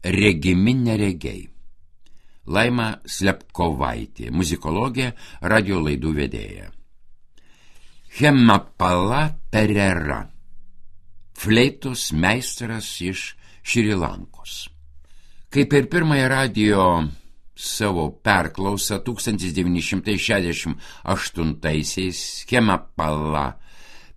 regimi neregiai. Laima Slepkovaitė, muzikologė, radio laidų vedėja. Hemapala Perera, fleitos meistras iš Šri Lankos. Kaip ir pirmąją radio savo perklausą 1968-aisiais Hemapala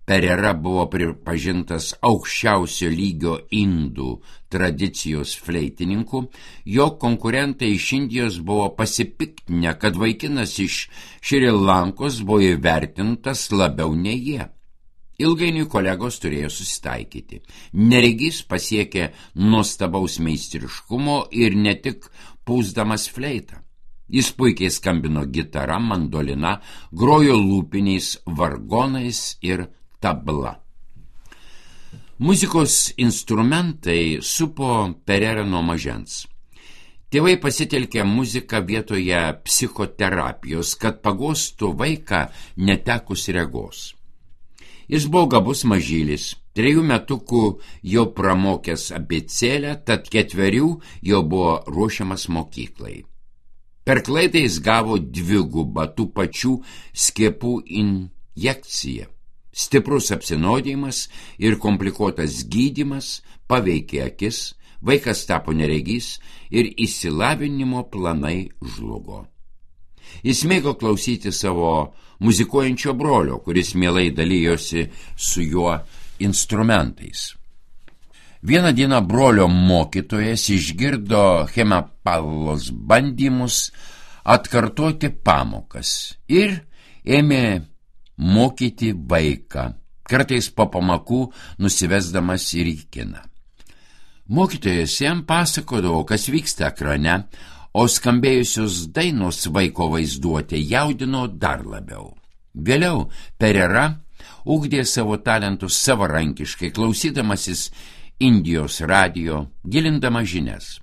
Perera buvo pripažintas aukščiausio lygio indų tradicijos fleitininku, jo konkurentai iš Indijos buvo pasipiktinę, kad vaikinas iš Šri Lankos buvo įvertintas labiau nei jie. Ilgainiui kolegos turėjo susitaikyti. Neregys pasiekė nuostabaus meistriškumo ir ne tik pūsdamas fleitą. Jis puikiai skambino gitara, mandolina, grojo lūpiniais vargonais ir tabla. Muzikos instrumentai supo Pererą nuo mažens. Tėvai pasitelkė muziką vietoje psichoterapijos, kad pagostų vaiką netekus regos. Jis buvo gabus mažylis, 3 metukų jau pramokęs abėcėlę, tad 4 jau buvo ruošiamas mokyklai. Per klaidą jis gavo 2 tų pačių skiepų injekciją. Stiprus apsinuodijimas ir komplikuotas gydymas paveikė akis, vaikas tapo neregys ir išsilavinimo planai žlugo. Jis mėgo klausyti savo muzikuojančio brolio, kuris mielai dalijosi su juo instrumentais. Vieną dieną brolio mokytojas išgirdo Hemapalos bandymus atkartoti pamokas ir ėmė mokyti vaiką, kartais po pamokų nusivesdamas ir į kiną. Mokytojas jam pasakodavo, kas vyksta ekrane, o skambėjusios dainos vaiko vaizduotė jaudino dar labiau. Vėliau Perera ugdė savo talentus savarankiškai, klausydamasis Indijos radio, gilindama žinias.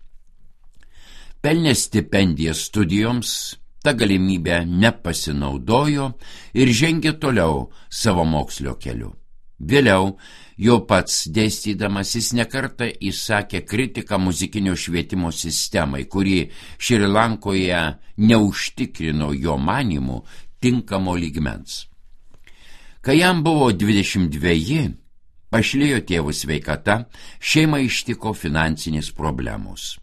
Pelnė stipendiją studijoms, ta galimybė nepasinaudojo ir žengė toliau savo mokslio keliu. Vėliau, jo pats dėstydamas, jis nekartą įsakė kritiką muzikinio švietimo sistemai, kuri Šri Lankoje neužtikrino jo manymų tinkamo lygmens. Kai jam buvo 22, pašlijo tėvų sveikata, šeimą ištiko finansinės problemos.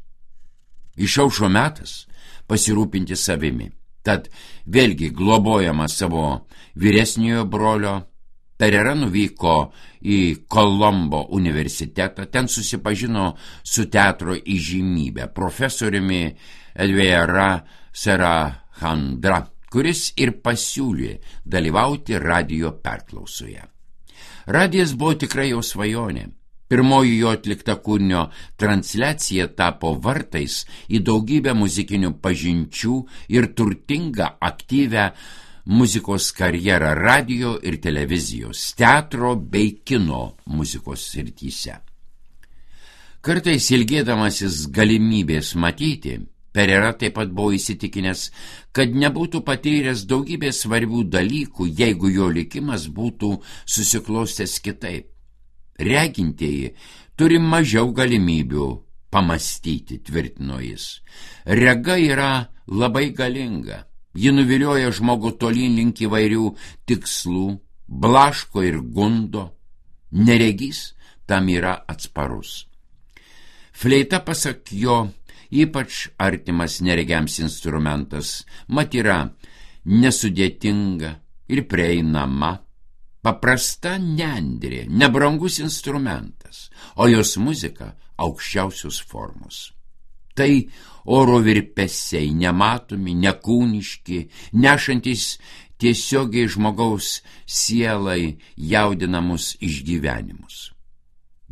Išaušo metas pasirūpinti savimi. Tad vėlgi globojama savo vyresniojo brolio, Perera nuvyko į Kolombo universitetą, ten susipažino su teatro įžymybe, profesoriumi Elvera Sarahandra, kuris ir pasiūlė dalyvauti radio perklausoje. Radijas buvo tikrai jo svajonė. Pirmoji jo atlikta kūrinio transliacija tapo vartais į daugybę muzikinių pažinčių ir turtingą aktyvę muzikos karjerą radio ir televizijos, teatro bei kino muzikos srityse. Kartais ilgėdamasis galimybės matyti, Perera taip pat buvo įsitikinęs, kad nebūtų patyręs daugybės svarbių dalykų, jeigu jo likimas būtų susiklostęs kitaip. Regintieji turi mažiau galimybių pamastyti, tvirtino jis. Rega yra labai galinga. Ji nuvilioja žmogų tolyn link įvairių tikslų, blaško ir gundo. Neregys tam yra atsparus. Fleita, pasak jo, ypač artimas neregiams instrumentas, mat yra nesudėtinga ir prieinama. Paprasta nendrė, nebrangus instrumentas, o jos muzika aukščiausios formos. Tai oro virpesiai, nematomi, nekūniški, nešantis tiesiogiai žmogaus sielai jaudinamus išgyvenimus.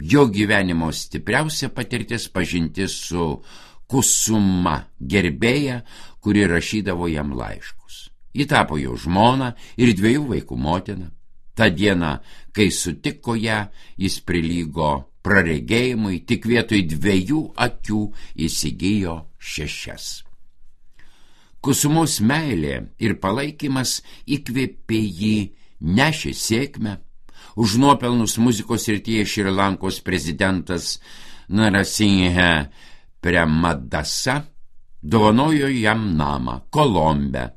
Jo gyvenimo stipriausia patirtis pažintis su Kusuma, gerbėja, kuri rašydavo jam laiškus. Ji tapo jo žmona ir 2 vaikų motina. Ta diena, kai sutiko ją, jis prilygo praregėjimui, tik vietoj 2 akių įsigijo 6. Kusumos meilė ir palaikymas įkvėpė jį, nešė sėkmę. Už nuopelnus muzikos srityje Šri Lankos prezidentas Narasinghe Premadasa dovanojo jam namą Kolombe.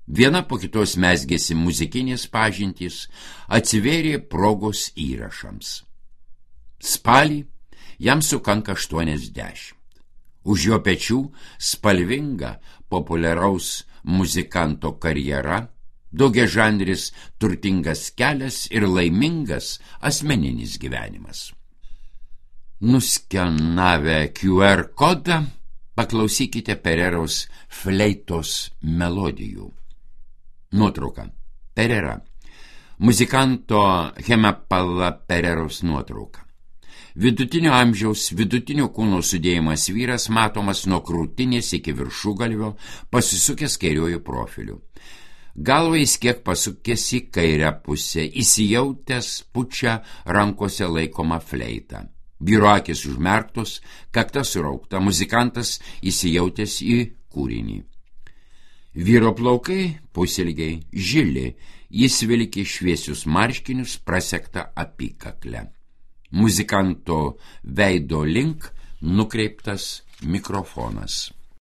Viena po kitos mezgėsi muzikinės pažintys, atsivėrė progos įrašams. Spalį jam sukanka 80. Už jo pečių spalvinga populiaraus muzikanto karjera, daugiažanris turtingas kelias ir laimingas asmeninis gyvenimas. Nuskenavę QR kodą, paklausykite Pereiros fleitos melodijų. Nuotrauka. Pereira. Muzikanto Hemapala Pereiros nuotrauka. Vidutinio amžiaus, vidutinio kūno sudėjimas vyras matomas nuo krūtinės iki viršugalvio, pasisukęs kairiuoju profiliu. Galva jis kiek pasukęs į kairę pusę, įsijautęs pučia rankose laikoma fleitą. Vyro akis užmerktos, kakta suraukta, muzikantas įsijautęs į kūrinį. Vyro plaukai pusilgiai, žili, jis vilki šviesius marškinius prasektą apykaklę. Muzikanto veido link nukreiptas mikrofonas.